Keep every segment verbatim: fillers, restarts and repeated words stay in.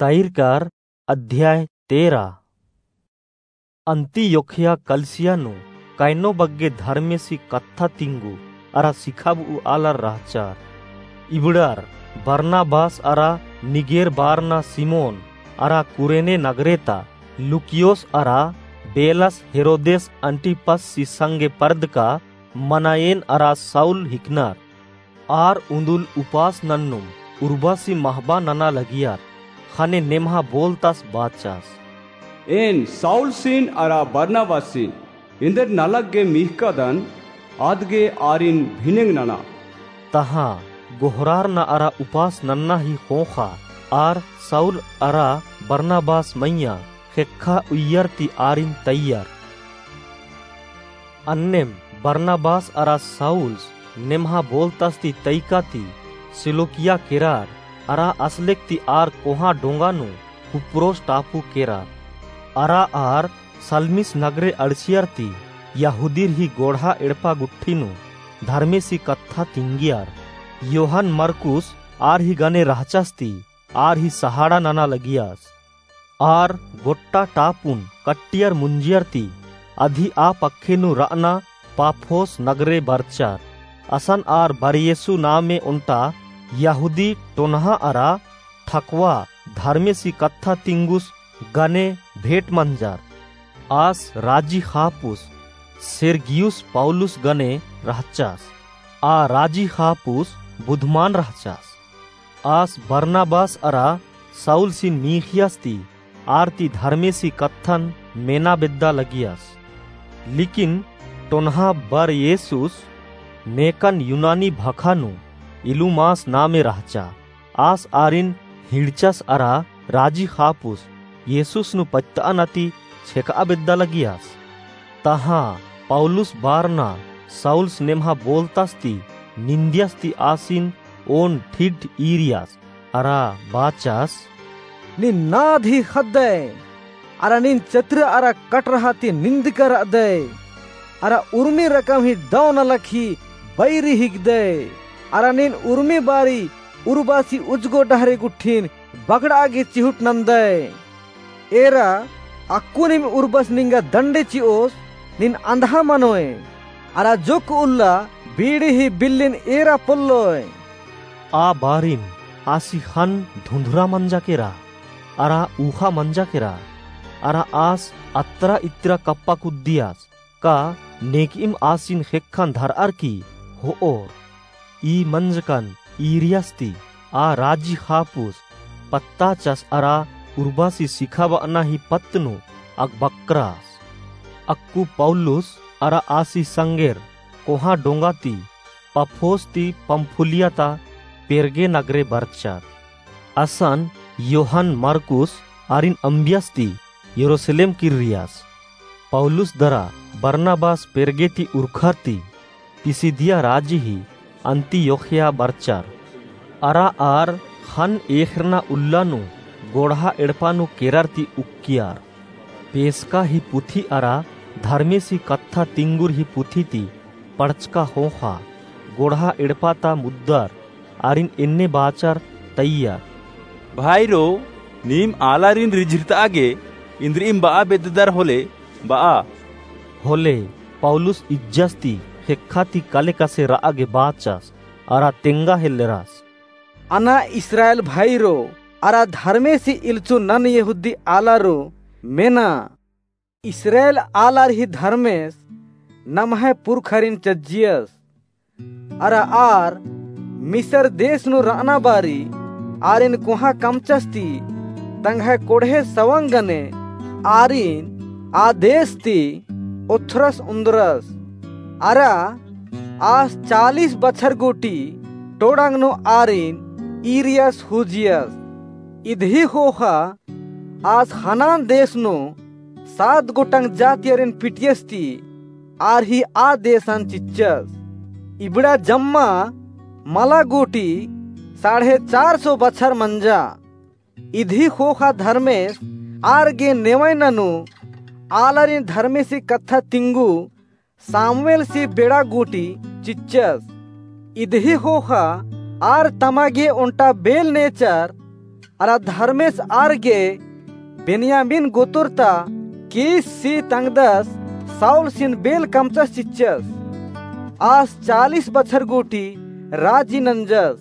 तैरकार अध्याय तेरा। अंतियोखिया कलिसिया नू कैनो बग्गे धर्मेसी कत्था तिंगु अरा सिखाब'ऊ आलर रहचर। इबड़ार बरनाबास अरा निगेर बारना सिमोन अरा कुरेने नगरे ता लुकियोस अरा बेलस हेरोदेस अंटिपसी संगे परदका मनायेन अरा साउल हिकनर। आर उन्दुल उपास नन्नुम उर्बासी महबा नना लगियर। ख़ने नेम्हा बोलतास बाचस, एन साउलसिन अरा बरनाबासिन एन्देर नलख गे मिख़कदन, अदगे आरिन भिनेंग नना। तहाँ गोहरारना अरा उपास नन्ना ही ख़ोख़ा आर साउल अरा बरनाबास मइय्याँ ख़ेक्खा उइय्यर ती आरिन तइयर। अन्नेम बरनाबास अरा साउल्स नेम्हा बोलतास ती तइका ती सिलूकिया केरर अरा असलेक ती आर कोहाँ डोंगा नू कुप्रोस टापू केरर। अरा आर सलमीस नगरे अंड़सियर ती यहूदीर ही गोड़हा एड़पा गुट्ठी नू धर्मेसी कत्था तिंगियर। योहन मरकुस आर ही गने रहचस ती आर ही सहाड़ा नना लगियस। आर गोट्टा टापुन कट्टियर मुंजियर ती अदी आ पक्खे नू र'अना पाफोस नगरे बरचर। असन आर बरयेसु नामे ओन्टा यहूदी टोनहा अरा ठकवा धर्मेसी कत्था तिंगुस गने भेंट मंजर। आस राजी ख़ापुस सेर्गियुस पौलुस गने रहचस। आ राजी ख़ापुस बुधमान रहचस। आस बरनाबास अरा साउलसिन मीख़ियस ती आर ती धर्मेसी कत्थन मेना बेद्दा लगियस। लिकिन टोनहा बरयेसुस नेकन यूनानी भखा नू इलुमास नामे रहचा। आस आरिन हिड़चस अरा राजी ख़ापुस येसुस नू पत्त'अना ती छेक'आ बेद्दा लगियस। तहाँ पौलुस बारना साउल्स नेम्हा बोलतास ती निंदियस ती आसिन ओन ठिग्ठ ईरियस अरा बाचस, नीन नाद ही ख़द्दय अरा नीन चत्र अरा कटरहा ती निंदकर र'अदय अरा उर्मी रकम ही दौ नलख ही बैरी हिकदय अरा नीन उर्मी बारी उर्बासी उजगो डहरे गुट्ठिन बगड़'आ गे चिहुट नन्दय। एरा अक्कु नीम उर्बस निंगा दंडे चि'ओस, नीन अंधा मनोय, अरा जोक्क उल्ला बीड़ी ही बिल्लिन एरा पोल्लोय। आ बारिन आसी ख़न्न धुंधुरा मंजा केरा, अरा ऊख़ा मंजा केरा, अरा आस अत्रा इत्रा कप्पा कुद्दियस, का नेकइम आसिन ख़ेक्खन धर'अर की हो'ओर। ई मंजकन ईरियस ती आ राजी ख़ापुस पत्ताचस अरा उर्बासी सिखाब'अना ही पत्त नू अकबक्रास। अक्कु पौलुस अरा आसी संगेर कोहाँ डोंगा ती पफोस ती पंफूलिया ता पेरगे नगरे बरचर। असन योहन मरकुस आरिन अम्बियस ती यरूसलेम किर्रियस। पौलुस दरा बरनाबास पेरगे ती उरखर ती पिसिदिया राजी ही अंतियोखिया बरचर। अरा आर ख़न्न एख़रना उल्ला नू गोड़हा एड़पा नू केरर ती उक्कियर। पेसका ही पुथी अरा धर्मेसी कत्था तिंगुर ही पुथी ती पढ़चका ख़ोख़ा गोड़हा एड़पा ता मुद्दर आरिन एन्ने बाचर तइयर, भाईरो, नीम आलारिन रिझिरत'आ गे इन्द्रिइम ब'आ बेद्ददर होले ब'आ। होले पौलुस इज्जस ती ख़ेक्खा ती कले कसे र'आ गे बाचस अरा तेंगा हेल्लरस, अना इस्राएल भाईरो अरा धर्मेसी इल्चु नन यहूदी आलारो, मेना। इस्राएल आलर ही धर्मेस नम्है पुरखरिन चज्जियस। अरा आर मिसर देस नू र'अना बारी आरिन कोहाँ कमचस ती तंग्है कोड़हे सवंग गने आरिन आ देस ती ओथ्रस उन्द्रस। अरा आस चालीस बछर गूटी टोड़ंग नू आरिन ईरियस हुजियस। इदही ख़ोख़ा आस ख़नान देस नू सात गोटंग जातियरिन पिटियस ती आर ही आ देसन चिच्चस। इबड़ा जम्मा मला गूटी साढ़े चार सौ बछर मंजा। इदही ख़ोख़ा धर्मेस आर गे नेवैना नू आलारिन धर्मेसी कत्था तिंगु सामुएलसी बेड़ा गूटी चिच्चस। इदही ख़ोख़ा आर तमा गे ओन्टा बेल नेचर अरा धर्मेस आर गे बेन्यामीन गोतर ता कीससी तंगदस साउलसिन बेल कमचस चिच्चस। आस चालीस बछर गूटी राजी नंजस।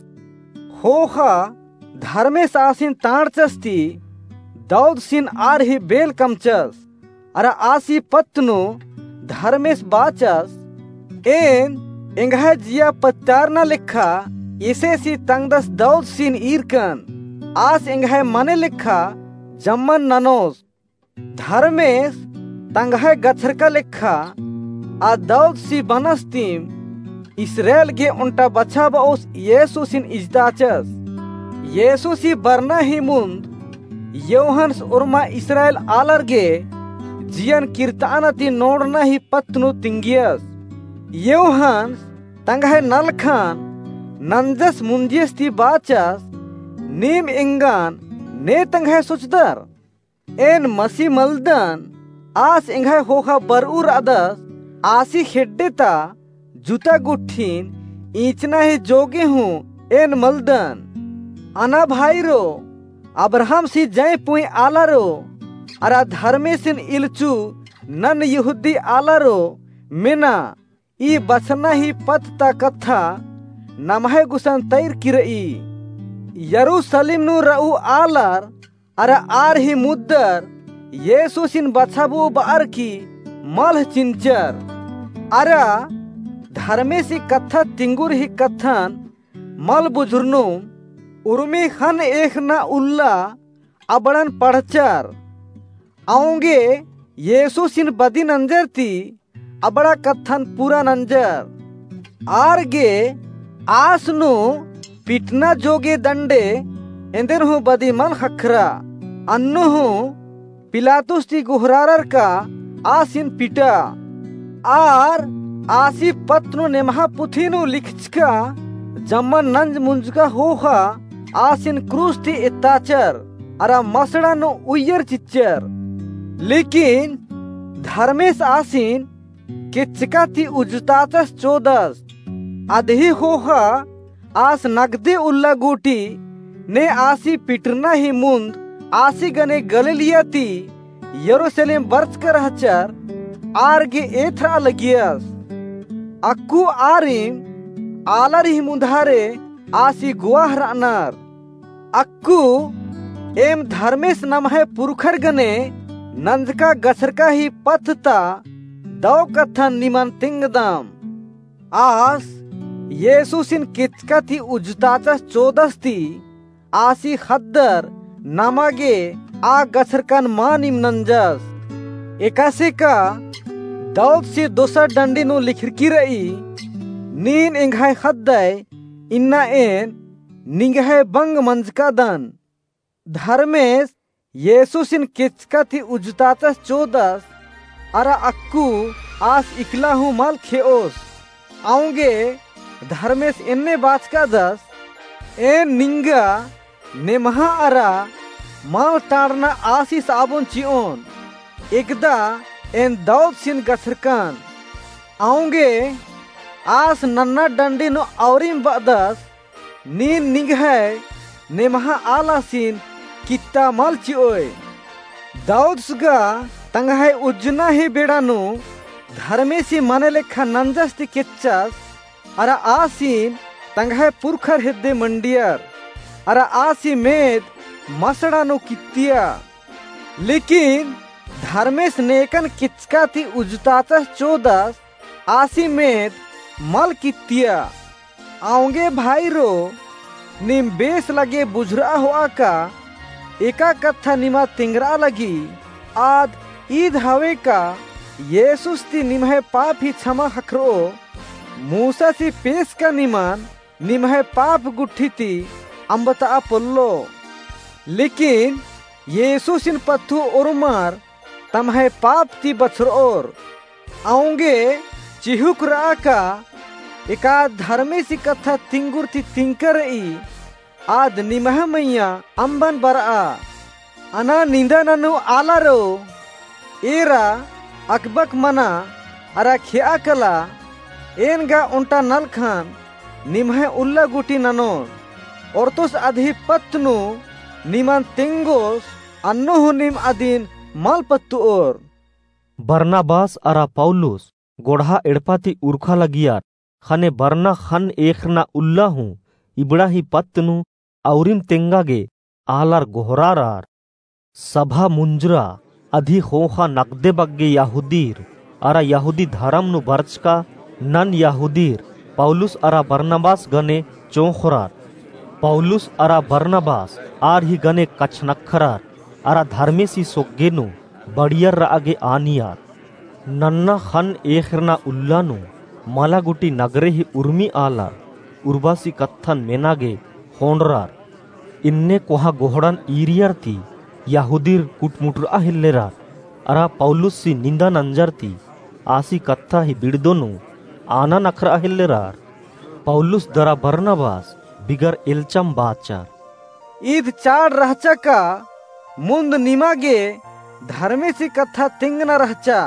ख़ोख़ा धर्मेस आसिन तांड़चस ती दाऊदसिन आर ही बेल कमचस। अरा आसी पत्त नू धर्मेस बाचस, एन एंग्है जिया पत्तारना लेखा येसेसी तंगदस दाऊदसिन ईरकन। आस एंग्है मने लेखा जम्मन ननोस। धर्मेस तंग्है गछरका लेखा आ दाऊदसी बनस तिम इस्राएल गे ओन्टा बछाबओस येसुसिन इजताचस। येसुसी बरना ही मुन्द योहन्स ओर्मा इस्राएल आलर गे जियन किर्ताना ती नोड़ना ही पत्त नू तिंगियस। योहन्स तंग्है नलखन नंजस मुंजियस ती बाचस, नीम एंगन ने तंग्है सोचदर? एन मसी मलदन। आस एंग्है ख़ोख़ा बरऊ रअदस, आसी खेड्डे ता जुता गुट्ठिन ईंचना ही जोगे हूँ एन मलदन। अना भाईरो, अब्राहमसी जय पुंई आलारो, अरा धर्मेसिन इल्लचू नन यहूदी आलारो मेना, ई बछरना ही पत्त ता कत्था नम्है गुसन तैरकी रई। यरूसलेम नू रऊ आलर अरा आर ही मुद्दर येसुसिन बछाबऊ बअर की मल चिन्चर। अरा धर्मेसी कत्था तिंगुर ही कत्थन मल बुझुरनुम उर्मी ख़न्न एख़ना उल्ला अबड़न पढ़चर। औंगे येसुसिन बदी नंजर ती अबड़ा कत्थन पूरा नंजर। आर गे आस नू पिटना जोगे दंडे एन्देर हूँ बदी मल ख़क्खरा। अन्नु हूँ पिलातुस ती गोहरारर का आसिन पिटा। आर आसी पत्त नू नेम्हा पुथी नू लिखचका जम्मन नंज मुंजका ख़ोख़ा आसिन क्रूस ती एत्ताचर अरा मसड़ा नू उइयर चिच्चर। लेकिन धर्मेस आसिन केच्चका ती उज्जताचस चोदस। अदही ख़ोख़ा आस नगदे उल्ला गूटी ने आसी पिटरना ही मुन्द आसी गने गलीलिया ती यरूसलेम बरचका रहचर आर गे एथरा लगियस। अक्कु आरिम आलर ही मुन्धारे आसी गुवाह रअनर। अक्कु एम धर्मेस नम्है पुरखर गने नंजका गछरका ही पत्त ता दौ कत्थन निमन तिंगदम। आस येसुसिन केच्चका ती उज्जताचस चोदस ती आसी ख़द्दर नमा गे आ गछरकन मा निम नंजस। एकासे का दाऊदसी दोसर डंडी नू लिखरकी रई, नीन एंग्है ख़द्दय इन्ना एन निंग्है बंग मंजकादन। धर्मेस येसुसिन केच्चका ती उज्जताचस चोदस, अरा अक्कु आस इकला हूँ मल खेओस। औंगे धर्मेस एन्ने बाचकादस, एन निंगा नेम्हा अरा मल टाड़ना आसिस आबोन चिओन, एकदा एन दाऊदसिन गछरकन। औंगे आस नन्ना डंडी नू औरिम बअदस, नीन निंग्है नेम्हा आलासिन कित्ता मल चिओय। दाऊदस गा तंग्है उज्जना ही बेड़ा नू धर्मेसी मने लेखा नंजस ती केच्चस, अरा आसिन तंग्है पुरखर हेद्दे मंडियर, अरा आसी मेद मसड़ा नू कित्तिया। लेकिन धर्मेस नेकन केच्चका ती उज्जताचस चोदस, आसी मेद मल कित्तिया। औंगे भाईरो, नीम बेस लगे बुझुरआ होआ का एका कत्था निमा तिंगरआ लगी, आद ईद हवे का येसुस ती निम्है पाप ही छमा ख़क्खरओ। मूसासी पेसका निमन निम्है पाप गुट्ठी ती अम्बतआ पोल्लो। लेकिन येसुसिन पत्थु ओर्मर तम्है पाप ती बछरओर। औंगे चिहुक रआ का एका धर्मेसी कत्था तिंगुर ती तिंका रई, आद निम्है मइय्याँ अम्बन बरआ। अना निंदा ननू आलारो, एरा अकबक मना अरा खेआ कला, एन गा ओन्टा नलखन निम्है उल्ला गूटी ननोन। ओर्तोस अदही पत्त नू निमन तेंगोस, अन्नु हूँ नीम अदिन मल पत्तुओर।" बरनबास अरा पौलुस गोड़हा एड़पा ती उरखा लगियर। ख़ने बरना ख़न्न एख़रना उल्ला हूँ इबड़ा ही पत्त नू औरिम तेंगा गे आलर गोहरारर। सभा मुंजरा अदी ख़ोख़ा नकदे बग्गे यहूदीर अरा यहूदी धरम नू बरचका नन यहूदीर पौलुस अरा बरनबास गने चोंख़रर। पौलुस अरा बरनबास आर ही गने कछनखरर अरा धर्मेसी सोग्गे नू बढ़ियर रआ गे आनियर। नन्ना ख़न्न एख़रना उल्ला नू मला गुटी नगरे ही उर्मी आलर उर्बासी कत्थन मेना गे ख़ोंड़रर। इन्ने कोहाँ गोहड़न ईरियर ती यहूदीर कुटमुटरआ हेल्लेरर अरा पौलुससी निंदा नंजर ती आसी कत्था ही बिड़दो नू आना नखरआ हेल्लेरर। पौलुस दरा बरनबास बिगर एल्चम बाचर। ईद चाड़ रहचा का मुन्द निमा गे धर्मेसी कत्था तेंगना रहचा,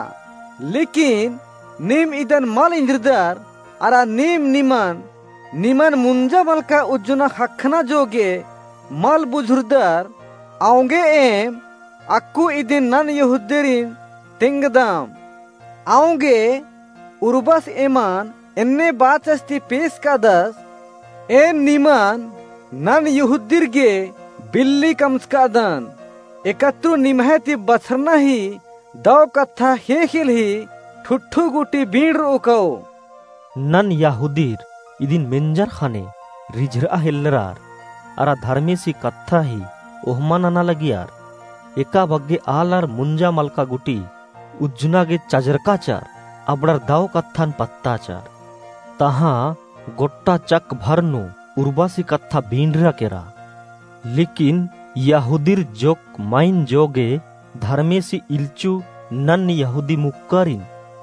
लेकिन नीम इदन मल इन्द्रिदर, अरा नीम निमन, निमन मुंजा मलका उज्जना ख़क्खना जोगे मल बुझुरदर, औंगे एम अक्कु इदिन नन यहूदीरिन तेंगदम। औंगे उर्बस एमन एन्ने बाचस ती पेस कादस, एन निमन नन यहूदीर गे बिल्ली कमचकादन। एकतरु निम्है ती बछरना ही दौ कत्था ख़ेख़ेल ही ठुठ्ठू गुटी बींड़रओ कओ। नन यहूदीर इदिन मेंजर ख़ने रिझरआ हेल्लरार, अरा धर्मेसी कत्था ही ओहमा नना लगियार। एका बग्गे आलर मुंजा मलका गुटी उज्जना गे चजरकाचर, अबड़र दौ कत्थन पत्ताचर। तहाँ गोट्टा चक भर नू उर्बासी कत्था बींड़रा केरा। लेकिन यहूदीर जोक माइन जोगे धर्मेसी इल्चु नन यहूदी मुक्कारिन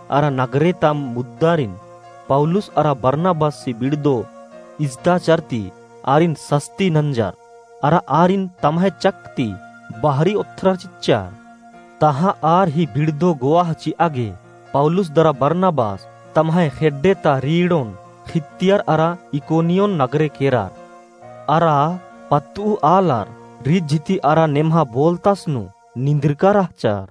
अरा नगरे ता मुद्दारिन पौलुस अरा बरनबासी बिड़दो इजताचर ती आरिन सस्ती नंजर, अरा आरिन तम्है चक ती बहरी ओथ्रर चिच्चर। तहाँ आर ही बिड़दो गोवाह चिआ गे पौलुस दरा बरनबास तम्है खेड्डे ता रीड़ोन ख़ित्तियर अरा इकोनियोन नगरे केरर। अरा पत्तुउ आलर रिझ ती अरा नेम्हा बोलतस नू निंद्रका रहचर।